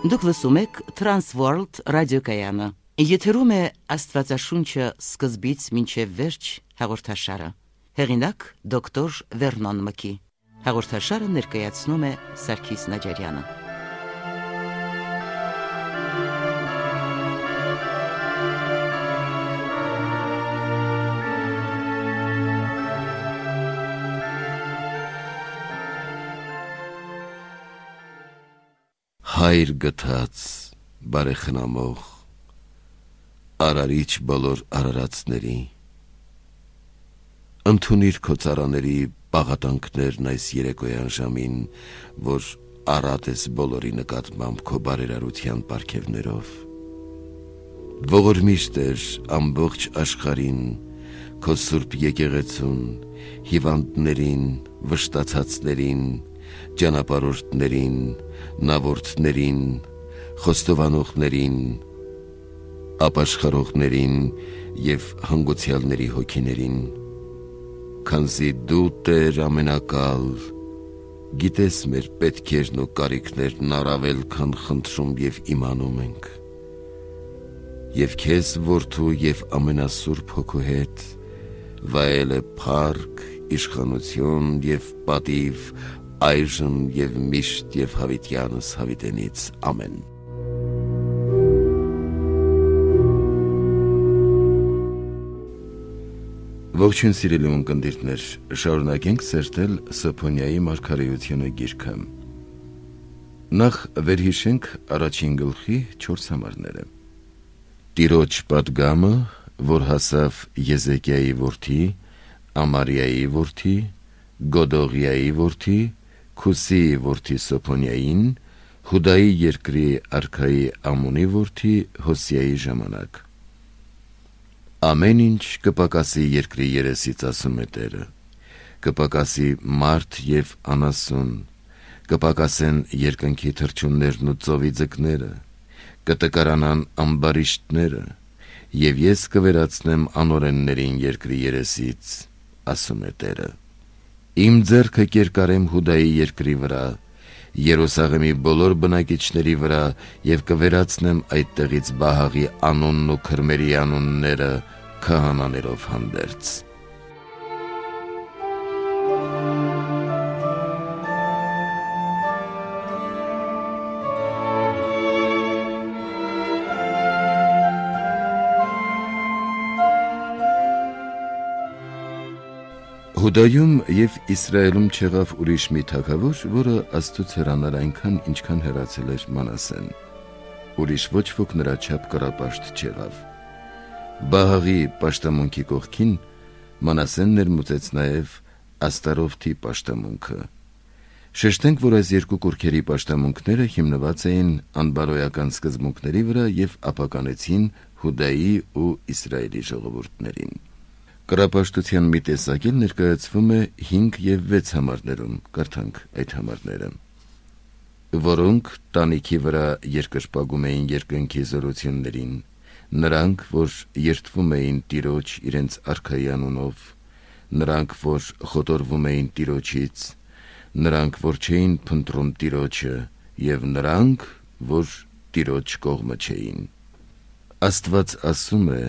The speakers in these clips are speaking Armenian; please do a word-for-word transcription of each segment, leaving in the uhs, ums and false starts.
Դուք լսում եք Transworld ռադիոկայանը։ Եթերում է Աստվածաշունչը սկզբից մինչև վերջ հաղորդաշարը։ Հեղինակ դոկտոր Վերնոն Մկի։ Հաղորդաշարը ներկայացնում է Սարգիս Նաջարյանը։ Հայր գթած, բարեխնամող, արարիչ բոլոր արարածների, ընդունիր քո ծառաների պաղատանքներն այս երեկոյան ժամին, որ առատ ես բոլորի նկատմամբ քո բարերարության պարգևներով։ Ողորմիր Տեր ամբողջ աշխարհին, քո սուրբ եկեղեցուն, հիվանդներին, վշտացածներին, ճանապարհորդներին, նավորդներին, խոստովանողներին, ապաշխարողներին և հանգուցյալների հոգիներին, քանզի դու Տեր ամենակալ, գիտես մեր պետքերն ու կարիքներն առավել քան խնդրում և իմանում ենք, և քեզ որդու և ամենասուրբ հոգու հետ վայել է փառք, իշխանություն և պատիվ այժմ և միշտ և հավիտյանս հավիտենից, ամեն։ Ողջույն սիրելի ունկնդիրներ, շարունակենք սերտել Սոփոնիայի մարգարեությունը գիրքը։ Նախ վերհիշենք առաջին գլխի չորս համարները։ Տիրոջ պատգամը, որ հասավ Եզեկիայի որդի, Ամարիայի որդի, Գոդողիայի որդի, Քուսիի որդի Սոփոնիային, Հուդայի երկրի արքայի Ամոնի որդի Հոսիայի ժամանակ։ Ամեն ինչ կպակասի երկրի երեսից, ասում է Տերը, կպակասի մարդ և անասուն, կպակասեն երկնքի թռչուններն ու ծովի ձկները, կտկարանան ամբարիշտները, և ես կվերացնեմ անօրեններին երկրի երեսից, ասում է Տերը։ Իմ ձեռքը կերկարեմ Հուդայի երկրի վրա, Երուսաղեմի բոլոր բնակիչների վրա և կվերացնեմ այդտեղից Բահաղի անունն ու քրմերի անունները քահանաներով հանդերձ։ Հուդայում և Իսրայելում չեղավ ուրիշ մի թագավոր, որը Աստծուց հեռանար այնքան, ինչքան հեռացել էր Մանասեն։ Ուրիշ ոչ ոք նրա չափ կռապաշտ չեղավ։ Բահաղի պաշտամունքի կողքին Մանասեն ներմուծեց նաև Աստարովթի պաշտամունքը։ Շեշտենք, որ այս երկու կուռքերի պաշտամունքները հիմնված էին անբարոյական սկզբունքների վրա և ապականեցին Հուդայի ու Իսրայելի ժողովուրդներին։ Կռապաշտության մի տեսակ էլ ներկայացվում է հինգ և վեց համարներում, կարդանք այդ համարները, որոնք տանիքի վրա երկրպագում էին երկնքի զորություններին, նրանք, որ երդվում էին Տիրոջ իրենց արքայի անունով, նրանք, որ խոտորվում էին Տիրոջից, նրանք, որ չէին փնտրում Տիրոջը, և նրանք, որ Տիրոջ կողմը չէին։ Աստված ասում է,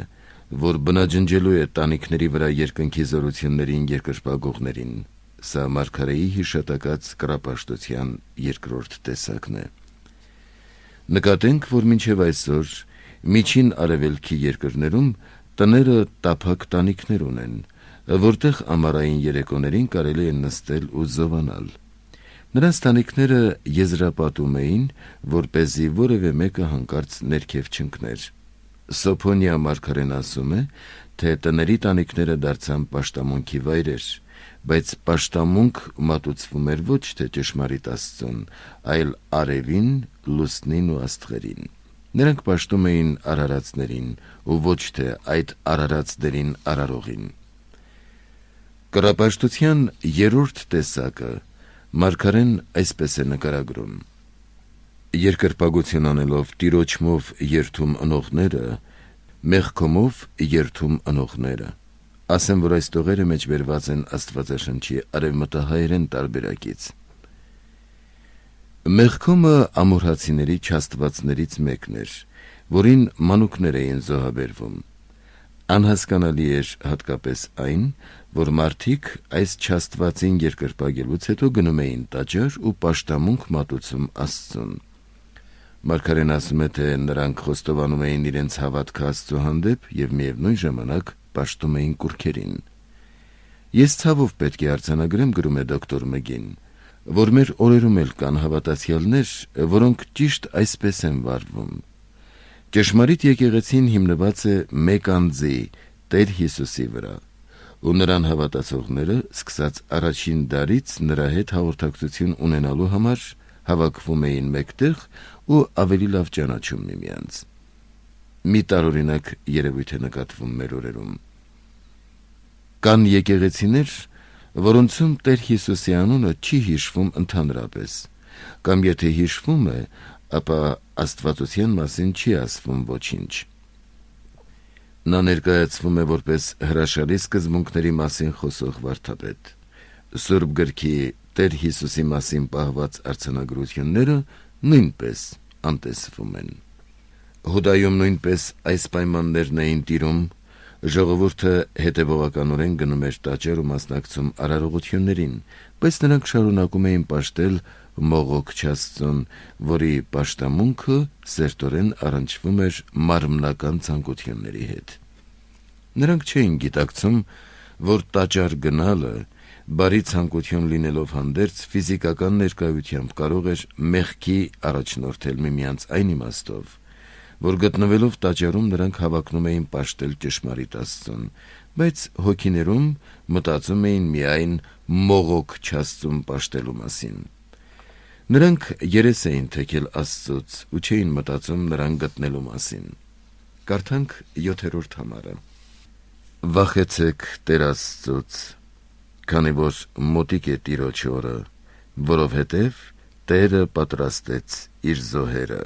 որ բնաջնջելու է տանիքների վրա երկնքի զորություններին երկրպագողներին։ Սա մարգարեի հիշատակած կռապաշտության երկրորդ տեսակն է։ Նկատենք, որ մինչև այսօր միջին արևելքի երկրներում տները տափակ տանիքներ ունեն, որտեղ ամառային երեկոներին կարելի է նստել ու զովանալ։ Նրանց տանիքները եզրապատում էին, որպեսզի որևէ մեկը հանկարծ ներքև չընկներ։ Սոփոնիա մարգարեն ասում է, թե տների տանիքները դարձան պաշտամունքի վայրեր, բայց պաշտամունք մատուցվում էր ոչ թե ճշմարիտ Աստծուն, այլ արևին, լուսնին ու աստղերին։ Նրանք պաշտում էին արարածներին ու ոչ թե այդ արարածներին արարողին։ Կռապաշտության երրորդ տեսակը մարգարեն այսպես է նկարագրում. Երկրպագություն անելով Տիրոջմով երդում ընողները, մեղքոմով երդում ընողները։ Ասեմ, որ այս տողերը մեջբերված են Աստվածաշնչի արևմտահայերեն տարբերակից։ Մեղքոմը ամորհացիների չաստվածներից մեկն էր, որին մանուկներ էին զոհաբերվում։ Անհասկանալի էր հատկապես այն, որ մարդիկ այս չաստվածին երկրպագելուց հետո գնում էին տաճար ու պաշտամունք մատուցում Աստծուն։ Մարգարեն ասում է, թե նրանք խոստովանում էին իրենց հավատքը Աստծո հանդեպ և միևնույն ժամանակ պաշտում էին կուռքերին։ Ես ցավով պետք է արձանագրեմ, գրում է դոկտոր Մգին, որ մեր օրերում էլ կան հավատացյալներ, որոնք ճիշտ այսպես են վարվում։ Ճշմարիտ եկեղեցին հիմնված է մեկ անձի, Տեր Հիսուսի վրա, ու նրան հավատացողները, սկսած առաջին դարից նրա հետ հաղորդակցություն ունենալու համար հավաքվում էին մեկտեղ ու ավելի լավ ճանաչում միմյանց։ Մի տարօրինակ երևույթ է նկատվում մեր օրերում։ Կան եկեղեցիներ, որոնցում Տեր Հիսուսի անունը չի հիշվում ընդհանրապես, կամ եթե հիշվում է, ապա Աստվածության մասին չի ասվում ոչինչ։ Նա ներկայացվում է որպես հրաշալի սկզբունքների մասին խոսող վարդապետ։ Սուրբ գրքի Տեր Հիսուսի մասին պահված արձանագրությունները նույնպես անտեսվում են։ Հուդայում նույնպես այս պայմաններն էին տիրում, ժողովուրդը հետևողականորեն գնում էր տաճար ու մասնակցում արարողություններին, բայց նրանք շարունակում էին պաշտել մողոք Աստծուն, որի պաշտամունքը սերտորեն առնչվում էր մարմնական ցանկությունների հետ։ Նրանք չէին գիտակցում, որ տաճար գնալը, բարի ցանկություն լինելով հանդերձ, ֆիզիկական ներկայությամբ կարող էր մեղքի առաջնորդել միմյանց այն իմաստով, որ գտնվելով տաճարում նրանք հավակնում էին պաշտել ճշմարիտ Աստծուն, բայց հոգիներում մտածում էին միայն մողոք Աստծուն պաշտելու մասին։ Նրանք երես էին թեքել Աստծուց ու չէին մտածում նրան գտնելու մասին։ Կարդանք յոթերորդ համարը։ Վախեցեք Տեր Աստծուց, քանի որ մոտիկ է Տիրոջ օրը, որովհետև Տերը պատրաստեց իր զոհերը։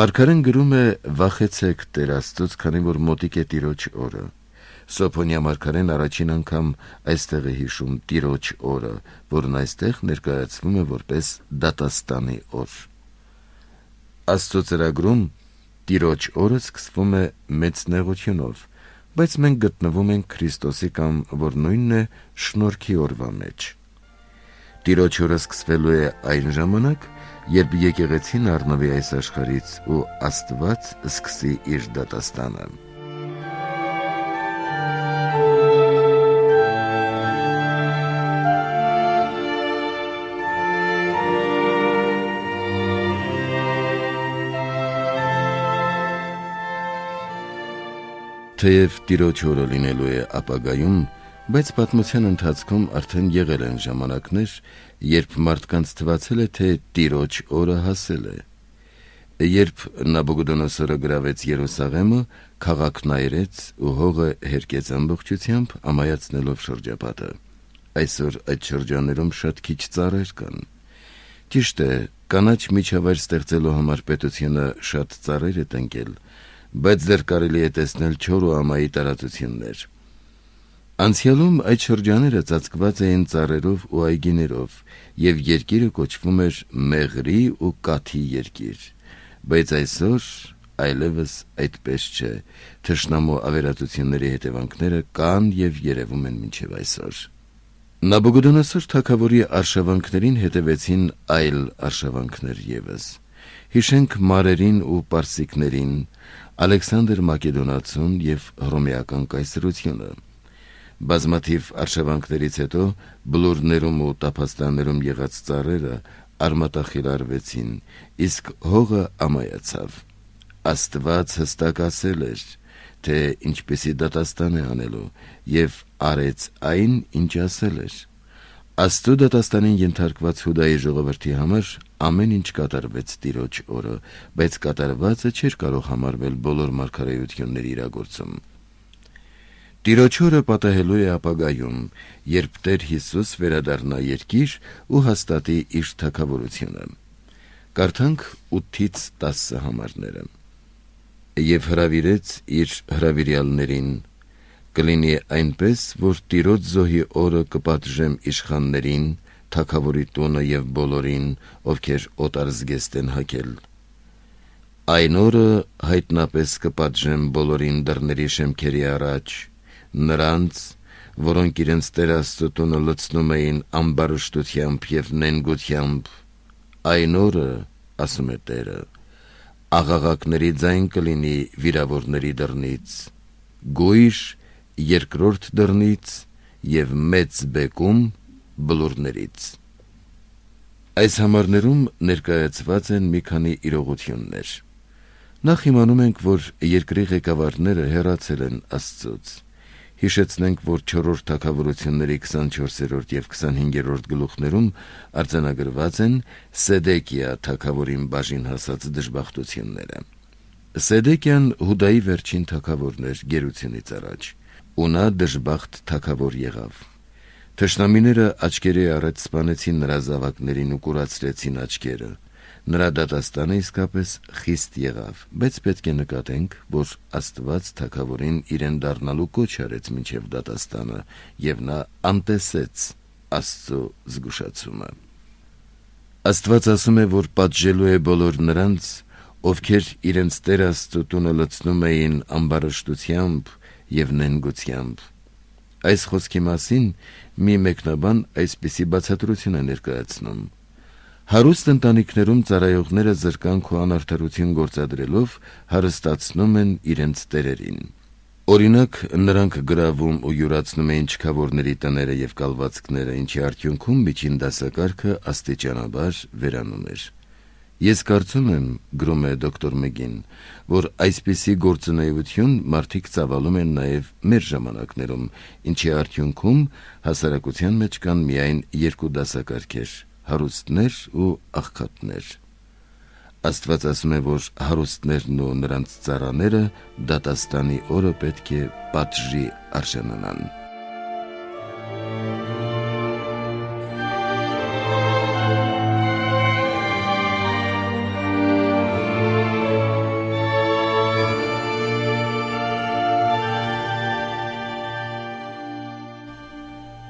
Մարգարեն գրում է վախեցեք Տեր Աստծուց, քանի որ մոտիկ է Տիրոջ օրը։ Սոփոնյա մարգարեն առաջին անգամ այստեղ է հիշում Տիրոջ օրը, որն այստեղ ներկայացվում է որպես դատաստանի օր։ Աստծո ծրագրում Տիրոջ օրը սկսվում է մեծ նեղությունով, բայց մենք գտնվում ենք Քրիստոսի կամ որ նույնն է շնորհքի օրվա մեջ։ Տիրոջ օրը սկսվելու է այն ժամանակ, երբ եկեղեցին առնվի այս աշխարհից ու Աստված սկսի իր դատաստանը։ Թեև Տիրոջ օրը լինելու է ապագայում, բայց պատմության ընթացքում արդեն եղել են ժամանակներ, երբ մարդկանց թվացել է, թե Տիրոջ օրը հասել է։ Երբ Նաբուգոդոնոսորը գրավեց Երուսաղեմը, քաղաքն այրեց ու հողը հերկեց ամբողջությամբ, ամայացնելով շրջապատը։ Այսօր այդ շրջաններում շատ քիչ ծառեր կան։ Ճիշտ է, կանաչ միջավայր ստեղծելու համար պետությունը շատ ծառեր է տնկել, բայց դեռ կարելի է տեսնել չոր ու ամայի տարածություններ։ Անցյալում այդ շրջաները ծածկված էին ծառերով ու այգիներով, և երկիրը կոչվում էր մեղրի ու կաթի երկիր, բայց այսօր այլևս այդպես չէ, թշնամու ավերածությունների հետևանքները կան և երևում են մինչև այսօր։ Նաբուգոդոնոսոր թագավորի արշավանքներին հետևեցին այլ արշավանքներ ևս։ Հիշենք մարերին ու պարսիկներին, Ալեքսանդր Մակեդոնացուն և հռոմեական կայսրությունը։ Բազմաթիվ արշավանքներից հետո բլուրներում ու տափաստաններում եղած ծառերը արմատախիլարվեցին, իսկ հողը ամայացավ։ Աստված հստակ ասել էր, թե ինչպեսի դատաստան է անելու, և արեց այն, ինչ ասել էր։ Աստծո դատաստանին ենթարկված Հուդայի ժողովրդի համար ամեն ինչ կատարվեց Տիրոջ օրը, բայց կատարվածը չէր կարող համարվել բոլոր մարգարեությունների իրագործում։ Տիրոջ օրը պատահելու է ապագայում, երբ Տեր Հիսուս վերադառնա երկիր ու հաստատի իր թագավորությունը։ Կարդանք ութից տասը համարները։ Եվ հրավիրեց իր հրավիրյալներին. կլինի այնպես, որ Տիրոջ զոհի օրը կպատժեմ իշխաններին, թագավորի տունը եւ բոլորին, ովքեր օտար զգեստ են հագել։ Այն օրը հայտնապես կպատժեմ բոլորին դռների շեմքերի առաջ, նրանց, որոնք իրենց Տեր Աստծո տունը լցնում էին ամբարշտությամբ եւ նենգությամբ, այն օրը, ասում է Տերը, աղաղակների ձայն կլինի վիրավորների դռնից, գույշ երկրորդ դռնից եւ մեծ բեկում բլուրներից։ Այս համարներում ներկայացված են մի քանի իրողություններ։ Նախ իմանում ենք, որ երկրի ղեկավարները հեռացել են Աստծուց։ Հիշեցնենք, որ չորրորդ թագավորությունների քսանչորսերորդ եւ քսանհինգերորդ գլուխներում արձանագրված են Սեդեկիա թագավորին բաժին հասած դժբախտությունները։ Սեդեկիան Հուդայի վերջին թագավորն էր գերությունից առաջ, ու նա դժբախտ թագավոր եղավ։ Թշնամիները աչքերի առաջ սպանեցին նրա զավակներին ու կուրացրեցին աչքերը։ Նրա դատաստանը իսկապես խիստ եղավ, բայց պետք է նկատենք, որ Աստված թագավորին իրեն դառնալու կոչ արեց մինչև դատաստանը, եւ նա անտեսեց Աստծո զգուշացումը։ Աստված ասում է, որ պատժելու է բոլոր նրանց, ովքեր իրենց Տեր Աստծո տունը լցնում էին ամբարշտությամբ եւ նենգությամբ։ Այս խոսքի մասին մի մեկնաբան այսպիսի բացատրություն է ներկայացնում. հարուստ ընտանիքներում ծառայողները զրկանք ու անարդարություն գործադրելով հարստացնում են իրենց տերերին։ Օրինակ, նրանք գրավում ու յուրացնում էին չքավորների տները եւ կալվածքները, ինչի արդյունքում միջին դասակարգը աստիճանաբար վերանում էր։ Ես կարծում եմ, գրում է դոկտոր Մեգին, որ այսպիսի գործունեություն մարդիկ ծավալում են նաև մեր ժամանակներում, ինչի արդյունքում հասարակության մեջ կան միայն երկու դասակարգեր՝ հարուստներ ու աղքատներ։ Աստված ասում է, որ հարուստներն ու նրանց ծառաները դատաստանի օրը պետք է պատժի արժանանան։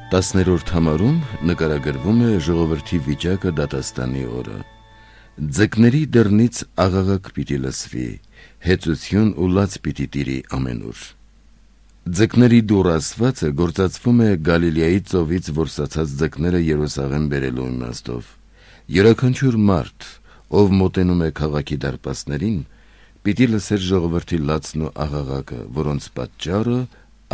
Տասներորդ համարում նկարագրվում է ժողովրդի վիճակը դատաստանի օրը։ Ձկների դռնից աղաղակ պիտի լսվի, հեծություն ու լաց պիտի տիրի ամենուր։ Ձկների դուռ ասվածը գործածվում է Գալիլեայի ծովից որսացած ձկները Երուսաղեմ բերելու իմաստով։ Յուրաքանչյուր մարդ, ով մոտենում է քաղաքի դարպասներին, պիտի լսեր ժողովրդի լացն ու աղաղակը, որոնց պատճառը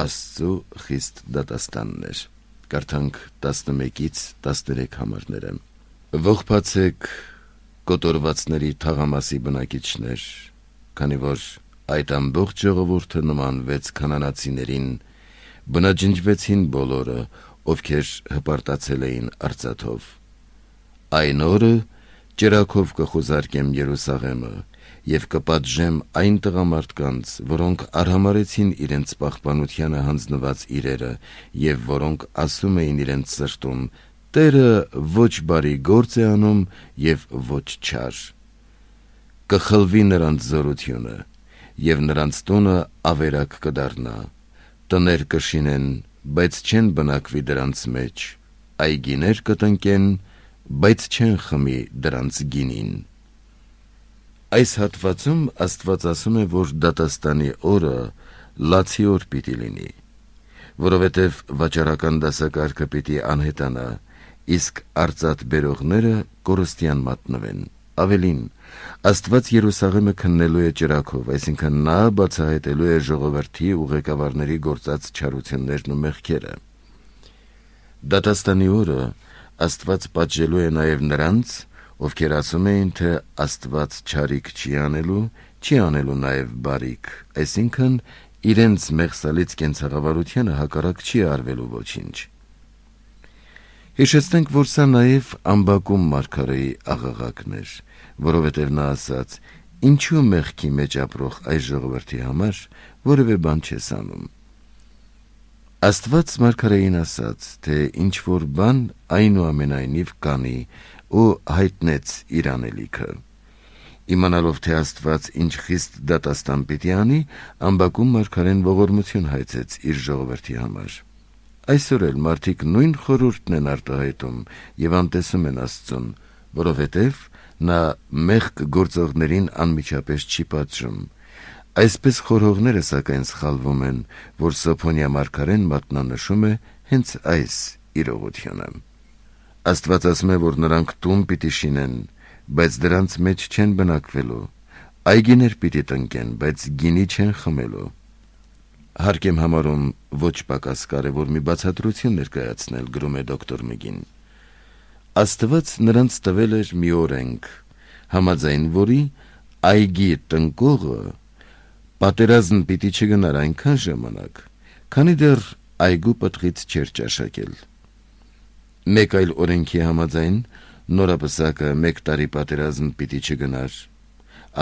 Աստծո խիստ դատաստանն էր։ Կարդանք տասնմեկից տասներեք համարները։ Ողբացեք կոտորվածների թաղամասի բնակիչներ, քանի որ այդ ամբողջ ժողովուրդը նմանվեց քանանացիներին, բնաջնջվեցին բոլորը, ովքեր հպարտացել էին արծաթով։ Այն օրը ճրագով կխուզարկեմ Երուսաղեմը եւ կպատժեմ այն տղամարդկանց, որոնք արհամարեցին իրենց պահպանությանը հանձնված իրերը եւ որոնք ասում էին իրենց սրտում. Տերը ոչ բարի գործ է անում եւ ոչ չար։ Կխլվի նրանց զորությունը եւ նրանց տունը ավերակ կդառնա։ Տներ կշինեն, բայց չեն բնակվի դրանց մեջ, այգիներ կտնկեն, բայց չեն խմի դրանց գինին։ Այս հատվածում Աստված ասում է, որ դատաստանի օրը լացի օր պիտի լինի, որովհետև վաճառական դասակարգը պիտի անհետանա, իսկ արծաթ բերողները կորստյան մատնվեն։ Ավելին, Աստված Երուսաղեմը քննելու է ճրագով, այսինքն նա բացահայտելու է ժողովրդի ու ղեկավարների գործած չարություններն ու մեղքերը։ Դատաստանի օրը Աստված պատժելու է նաև նրանց, ովքեր ասում էին, թե Աստված չարիք չի անելու, չի անելու նաև բարիք, այսինքն իրենց մեղսալից կենցաղավարությանը հակառակ չի արվելու ոչինչ։ Հիշեցնենք, որ սա նաև Ամբակում մարգարեի աղաղակն էր, որովհետև նա ասաց. «Ինչու մեղքի մեջ ապրող այս ժողովրդի համար որևէ բան չես անում»։ Աստված մարգարեին ասաց, թե ինչ որ բան այնուամենայնիվ կանի ու հայտնեց իր անելիքը։ Իմանալով, թե Աստված ինչ խիստ դատաստան պիտի անի, Ամբակում մարգարեն ողորմություն հայցեց իր ժողովրդի համար։ Այսօր էլ մարդիկ նույն խորհուրդն են արտահայտում եւ անտեսում են Աստծուն, որովհետեւ նա մեղք գործողներին անմիջապես չի պատժում։ Այսպես խորհողները սակայն սխալվում են, որ Սոփոնյա մարգարեն մատնանշում է հենց այս իրողությունը։ Աստված ասում է, որ նրանք տուն պիտի շինեն, բայց դրանց մեջ չեն բնակվելու, այգիներ պիտի տնկեն, բայց գինի չեն խմելու։ Հարկ եմ համարում ոչ պակաս կարևոր մի բացատրություն ներկայացնել, գրում է դոկտոր Մգին։ Աստված նրանց տվել էր մի օրենք, համաձայն որի այգի տնկողը պատերազմ պիտի չգնար այնքան ժամանակ, քանի դեռ այգու պտղից չէր ճաշակել։ Մեկ այլ օրենքի համաձայն նորապսակը մեկ տարի պատերազմ պիտի չգնար։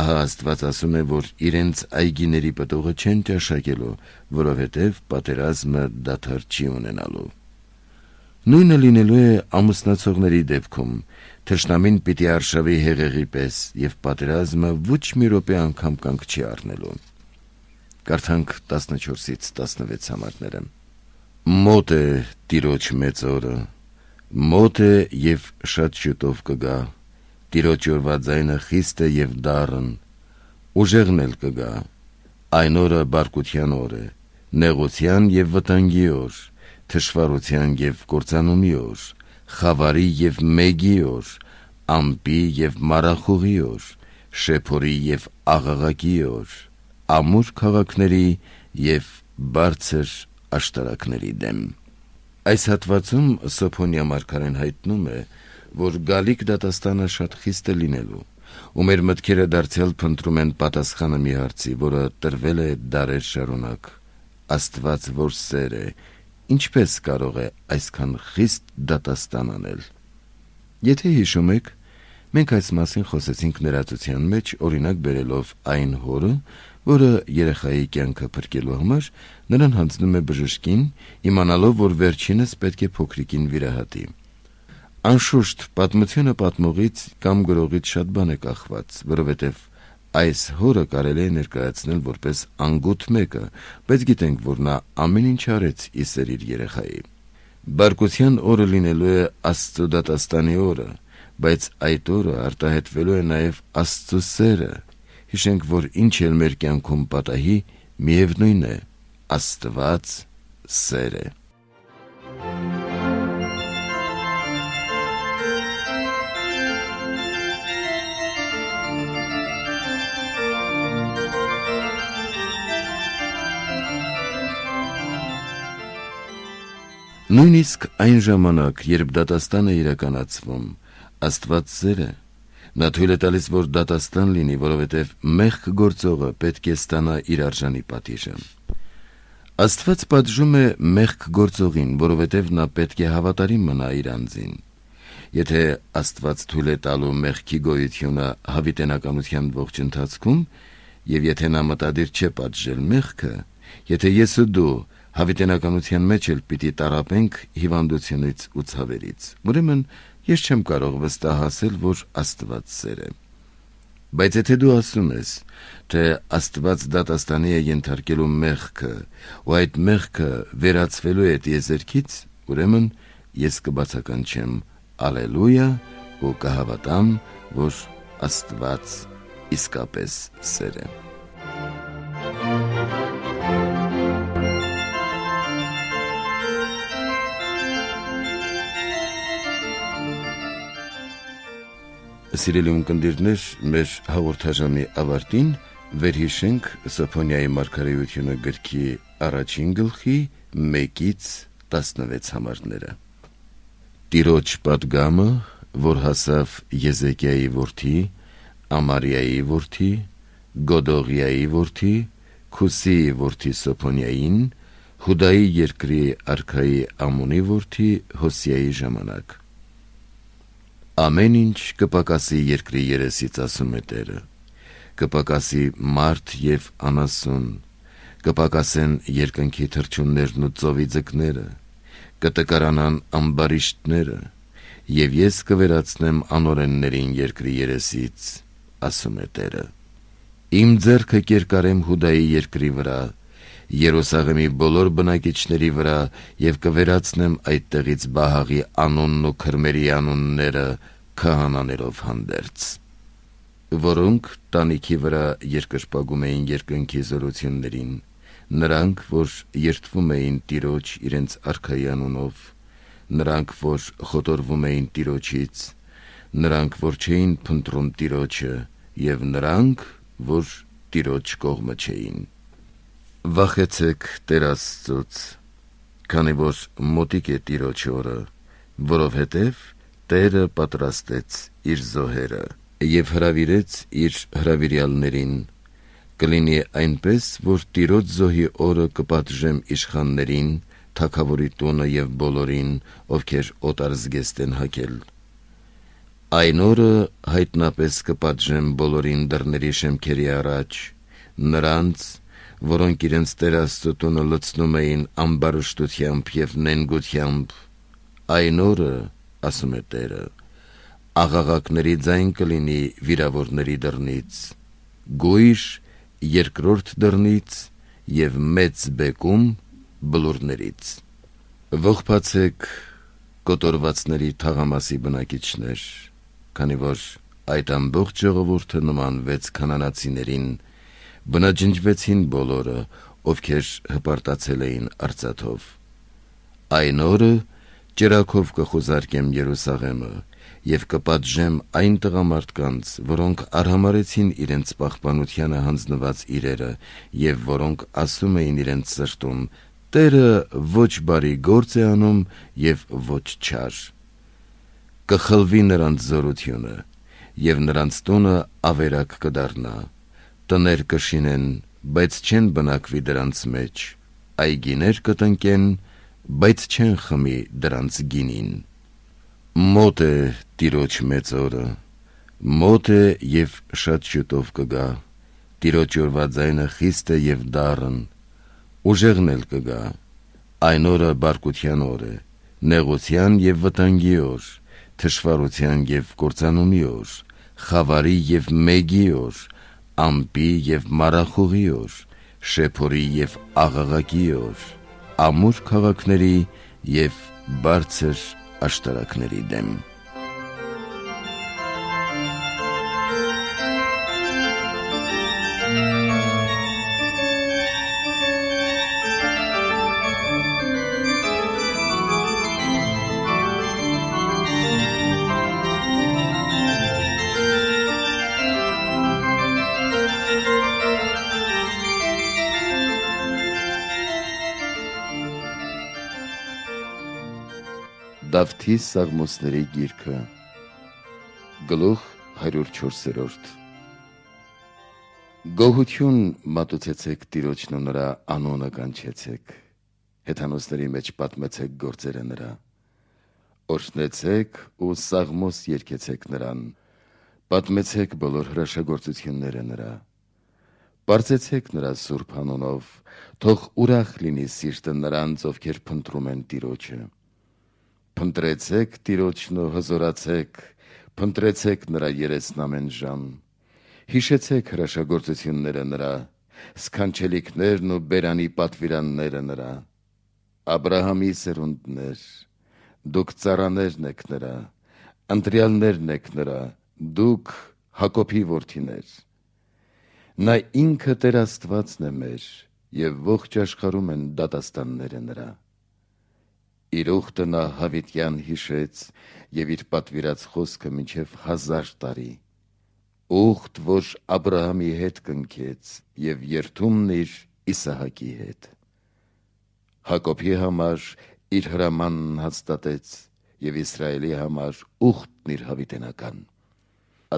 Ահա Աստված ասում է, որ իրենց այգիների պտուղը չեն ճաշակելու, որովհետև պատերազմը դադար չի ունենալու։ Նույնը լինելու է ամուսնացողների դեպքում, թշնամին պիտի արշավի հեղեղի պես, եւ պատերազմը ոչ մի րոպե անգամ կանգ չի առնելու։ Կարդանք տասնչորսից տասնվեց համարները։ Մոտ է Տիրոջ մեծ օրը, մոտ է եւ շատ շուտով կգա։ Տիրոջ օրվա ձայնը խիստ է եւ դառն, ուժեղն էլ կգա։ Այն օրը բարկության օր է, նեղության եւ վտանգի օր, թշվառության եւ կործանումի օր, խավարի եւ մեգի օր, ամպի եւ մարախուղի օր, շեփորի եւ աղաղակի օր, ամուր քաղաքների եւ բարձր աշտարակների դեմ։ Այս հատվածում Սոփոնյա մարգարեն հայտնում է, որ գալիք դատաստանը շատ խիստ է լինելու, ու մեր մտքերը դարձյալ փնտրում են պատասխանը մի հարցի, որը տրվել է դարեր շարունակ։ Աստված որ սեր է, ինչպես կարող է այսքան խիստ դատաստան անել։ Եթե հիշում եք, մենք այս մասին խոսեցինք ներածության մեջ, օրինակ բերելով այն հորը, որը երեխայի կյանքը փրկելու համար նրան հանձնում է բժշկին, իմանալով, որ վերջինս պետք է փոքրիկին վիրահատի։ Անշուշտ պատմությունը պատմողից կամ գրողից շատ բան է կախված, որովհետև այս հորը կարելի է ներկայացնել որպես անգութ մեկը, բայց գիտենք, որ նա ամեն ինչ արեց ի սեր իր երեխայի։ Բարկության օրը լինելու է Աստծո դատաստանի օրը, բայց այդ օրը արտահայտվելու է նաև Աստծո սերը։ Հիշենք, որ ինչ էլ մեր կյանքում պատահի, միևնույն է, Աստված սեր է։ Նույնիսկ այն ժամանակ, երբ դատաստանը իրականացվում, Աստված սեր է, նա թույլ է տալիս, որ դատաստան լինի, որովհետև մեղք գործողը պետք է ստանա իր արժանի պատիժը։ Աստված պատժում է մեղք գործողին, որովհետև նա պետք է հավատարիմ մնա իր անձին։ Եթե Աստված թույլ է տալու մեղքի գոյությունը հավիտենականության ողջ ընթացքում, եւ եթե նա մտադիր չէ պատժել մեղքը, եթե ես ու դու հավիտենականության մեջ էլ պիտի տարապենք հիվանդությունից ու ցավերից, ուրեմն ես չեմ կարող վստահ ասել, որ Աստված սեր է։ Բայց եթե դու ասում ես, թե Աստված դատաստանի է ենթարկելու մեղքը, ու այդ մեղքը վերացվելու է տիեզերքից, ուրեմն ես կբացականչեմ ալելույա ու կհավատամ, որ Աստված իսկապես սեր է։ Սիրելի ունկնդիրներ, մեր հաղորդաժամի ավարտին վերհիշենք Սոփոնյայի մարգարեությունը գրքի առաջին գլխի մեկից տասնվեց համարները։ Տիրոջ պատգամը, որ հասավ Եզեկիայի որդի, Ամարիայի որդի, Գոդողիայի որդի, Քուսիի որդի Սոփոնյային, Հուդայի երկրի արքայի Ամոնի որդի Հոսիայի ժամանակ։ Ամեն ինչ կպակասի երկրի երեսից, ասում է Տերը, կպակասի մարդ և անասուն, կպակասեն երկնքի թռչուններն ու ծովի ձկները, կտկարանան ամբարիշտները, և ես կվերացնեմ անօրեններին երկրի երեսից, ասում է Տերը։ Իմ ձեռքը կերկարեմ Հուդայի երկրի վրա, Երուսաղեմի բոլոր բնակիչների վրա եւ կվերացնեմ այդտեղից Բահաղի անունն ու քրմերի անունները քահանաներով հանդերձ, որոնք տանիքի վրա երկրպագում էին երկնքի զորություններին, նրանք, որ երդվում էին Տիրոջ իրենց արքայի անունով, նրանք, որ խոտորվում էին Տիրոջից, նրանք, որ չէին փնտրում Տիրոջը, եւ նրանք, որ Տիրոջ կողմը չէին։ Վախեցեք Տեր Աստծուց, քանի որ մոտիկ է Տիրոջ օրը, որովհետև Տերը պատրաստեց իր զոհերը եւ հրավիրեց իր հրավիրյալներին, կլինի այնպես, որ Տիրոջ զոհի օրը կպատժեմ իշխաններին, թագավորի տունը եւ բոլորին, ովքեր օտար զգեստ են հագել։ Այն օրը հայտնապես կպատժեմ բոլորին դռների շեմքերի առաջ, նրանց, որոնք իրենց Տեր Աստծո տունը լցնում էին ամբարշտությամբ եւ նենգությամբ, այն օրը, ասում է Տերը, աղաղակների ձայն կլինի վիրավորների դռնից, գույշ երկրորդ դռնից եւ մեծ բեկում բլուրներից։ Ողբացեք կոտորվածների թաղամասի բնակիչներ, քանի որ այդ ամբողջ ժողովուրդը նմանվեց քանանացիներին, բնաջնջվեցին բոլորը, ովքեր հպարտացել էին արծաթով։ Այն օրը ճրագով կխուզարկեմ Երուսաղեմը եւ կպատժեմ այն տղամարդկանց, որոնք արհամարեցին իրենց պահպանությանը հանձնված իրերը եւ որոնք ասում էին իրենց սրտում. Տերը ոչ բարի գործ է անում եւ ոչ չար։ Կխլվի նրանց զորությունը եւ նրանց տունը ավերակ կդառնա, տներ կշինեն, բայց չեն բնակվի դրանց մեջ, այգիներ կտնկեն, բայց չեն խմի դրանց գինին։ Մոտ է Տիրոջ մեծ օրը, մոտ է եւ շատ շուտով կգա, Տիրոջ օրվա ձայնը խիստ է եւ դառն, ուժեղն էլ կգա, այն օրը բարկության օր է, նեղության եւ վտանգի օր, թշվառության եւ կործանումի օր, խավարի եւ մեգի օր, ամպի եւ մարախուղի օր, շեփորի եւ աղաղակի օր, ամուր քաղաքների եւ բարձր աշտարակների դեմ։ Դավթի Սաղմոսների գիրքը, գլուխ հարյուր չորսերորդ։ Գոհություն մատուցեցեք Տիրոջն ու նրա անունը կանչեցեք, հեթանոսների մեջ պատմեցեք գործերը նրա, օրհնեցեք ու սաղմոս երգեցեք նրան, պատմեցեք բոլոր հրաշագործությունները նրա, պարզեցեք նրա սուրբ անունով, թող ուրախ լինի սիրտը նրանց, ովքեր փնտրում են Տիրոջը։ Փնտրեցեք Տիրոջն ու հզորացեք, փնտրեցեք նրա երեսն ամեն ժամ, հիշեցեք հրաշագործությունները նրա, սքանչելիքներն ու բերանի պատվիրանները նրա, Աբրահամի սերունդներ, դուք ծառաներն եք նրա, ընտրյալներն եք նրա, դուք Հակոբի որդիներ։ Նա ինքը Տեր Աստվածն է մեր, եւ ողջ աշխարհում են դատաստանները նրա։ Իր ուխտը նա հավիտյան հիշեց եւ իր պատվիրած խոսքը մինչեւ հազար տարի, ուխտ, որ Աբրահամի հետ կնքեց եւ երդումն իր Իսահակի հետ։ Հակոբի համար իր հրամանն հաստատեց եւ Իսրայելի համար ուխտն իր հավիտենական։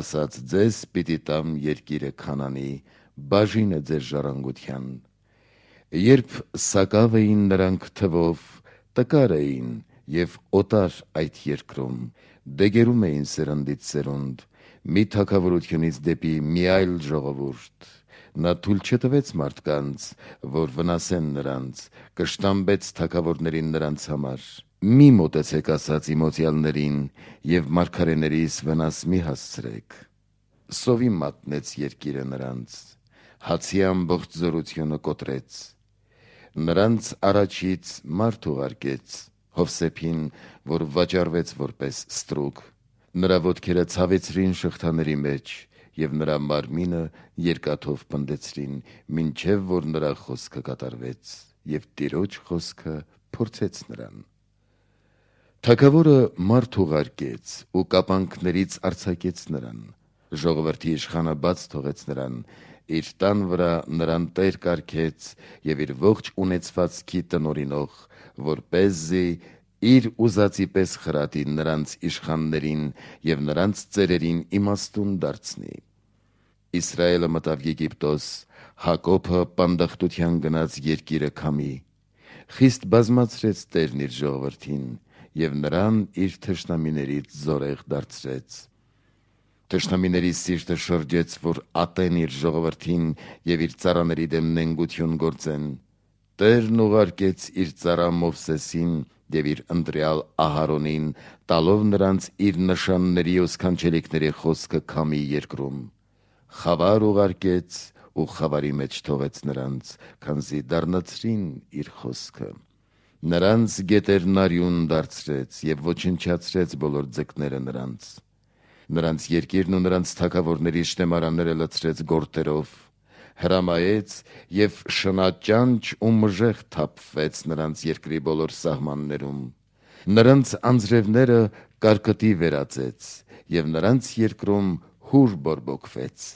Ասաց ձեզ պիտի տամ երկիրը Քանանի, բաժինը ձեր ժառանգության։ Երբ սակավ էին նրանք թվով, տկար էին եւ օտար այդ երկրում, դեգերում էին սերնդից սերունդ, մի թագավորությունից դեպի մի այլ ժողովուրդ, նա թույլ չտվեց մարդկանց, որ վնասեն նրանց, կշտամբեց թագավորներին նրանց համար։ Մի մոտեցեք ասաց իմոցյալներին եւ մարգարեներիս վնաս մի հասցրեք։ Սովի մատնեց երկիրը նրանց, հացի ամբողջ զորությունը կոտրեց, Նրանց առաջից մարդ ուղարկեց, Հովսեփին, որ վաճառվեց որպես ստրուկ, նրա ոտքերը ցավեցրին շղթաների մեջ, եւ նրա մարմինը երկաթով պնդեցրին, մինչև որ նրա խոսքը կատարվեց, եւ Տիրոջ խոսքը փորձեց նրան։ Թագավորը մարդ ուղարկեց ու կապանքներից արձակեց նրան, ժողովրդի իշխանը բաց թողեց նրան, իր տան վրա նրան տեր կարգեց եւ իր ողջ ունեցվածքի տնօրինող, որպեսզի իր ուզածի պես խրատի նրանց իշխաններին եւ նրանց ծերերին իմաստուն դարձնի։ Իսրայելը մտավ Եգիպտոս, Հակոբը պանդախտության գնաց երկիրը քամի, խիստ բազմացրեց Տերն իր ժողովրդին եւ նրան իր թշնամիներից զորեղ դարձրեց։ Թշնամիների սիրտը շրջեց, որ ատեն իր ժողովրդին եւ իր ծառաների դեմ նենգություն գործեն։ Տերն ուղարկեց իր ծառա Մովսեսին եւ իր ընտրյալ Ահարոնին, տալով նրանց իր նշանների ու սքանչելիքների խոսքը քամի երկրում։ Խավար ուղարկեց ու խավարի մեջ թողեց նրանց, քանզի դառնացրին իր խոսքը։ Նրանց գետերն արյուն դարձրեց եւ ոչնչացրեց բոլոր ձկները նրանց։ Նրանց երկիրն ու նրանց թագավորների շտեմարանները լցրեց գորտերով, հրամայեց եւ շնաճանճ ու մժեղ թափվեց նրանց երկրի բոլոր սահմաններում։ Նրանց անձրևները կարկտի վերածեց եւ նրանց երկրում հուր բորբոքվեց։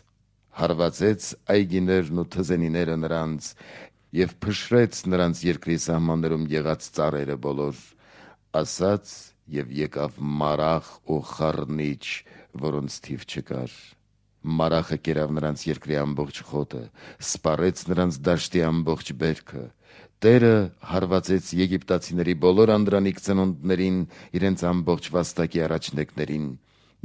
Հարվածեց այգիներն ու թզենիները նրանց եւ փշրեց նրանց երկրի սահմաններում եղած ծառերը բոլոր, ասաց եւ եկավ մարախ ու խառնիչ, որոնց թիվ չկար։ Մարախը կերավ նրանց երկրի ամբողջ խոտը, սպառեց նրանց դաշտի ամբողջ բերքը։ Տերը հարվածեց եգիպտացիների բոլոր անդրանիկ ծնունդներին, իրենց ամբողջ վաստակի առաջնեկներին։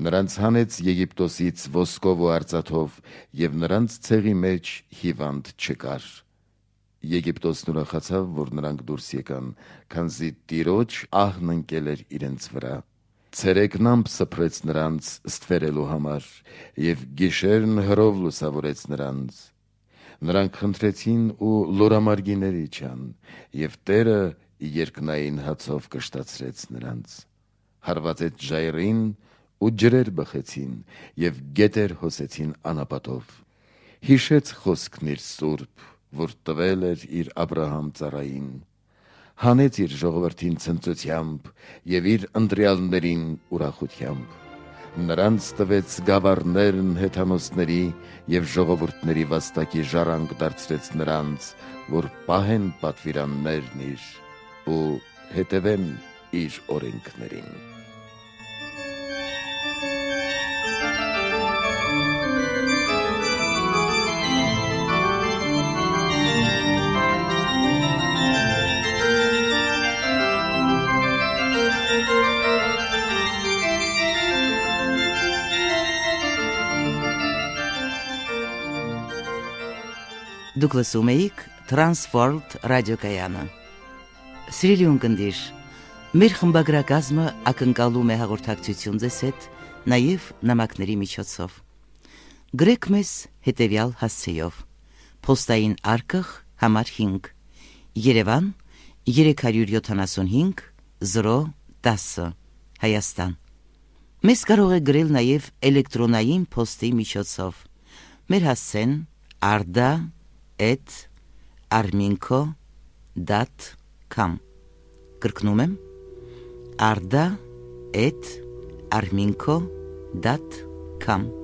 Նրանց հանեց Եգիպտոսից ոսկով ու արծաթով, եւ նրանց ցեղի մեջ հիվանդ չկար։ Եգիպտոսն ուրախացավ, որ նրանք դուրս եկան, քանզի Տիրոջ ահն ընկել էր իրենց վրա։ Ցերեկնամբ սփռեց նրանց ստվերելու համար, եւ գիշերն հրով լուսավորեց նրանց։ Նրանք խնդրեցին ու լորամարգիներ իջան, եւ Տերը երկնային հացով կշտացրեց նրանց։ Հարվածեց ժայռին ու ջրեր բխեցին, եւ գետեր հոսեցին անապատով։ Հիշեց խոսքն իր սուրբ, որ տվել էր իր Աբրահամ ծառային։ Հանեց իր ժողովրդին ցնծությամբ եւ իր ընտրյալներին ուրախությամբ։ Նրանց տվեց գավառներն հեթանոսների եւ ժողովուրդների վաստակի ժառանգ դարձրեց նրանց, որ պահեն պատվիրաններն իր ու հետևեն իր օրենքներին։ Դուք լսում էիք Transworld ռադիոկայանը։ Սիրելի ունկնդիր, մեր խմբագրակազմը ակնկալում է հաղորդակցություն ձեզ հետ նաև նամակների միջոցով։ Գրեք մեզ հետևյալ հասցեով. Պոստային արկղ համար հինգ, Երևան երեք յոթ հինգ զրո տասը, Հայաստան։ Մեզ կարող եք գրել նաև էլեկտրոնային պոստի միջոցով։ Մեր հասցեն arda at arminco dot com Կրկնում եմ arda at arminco dot com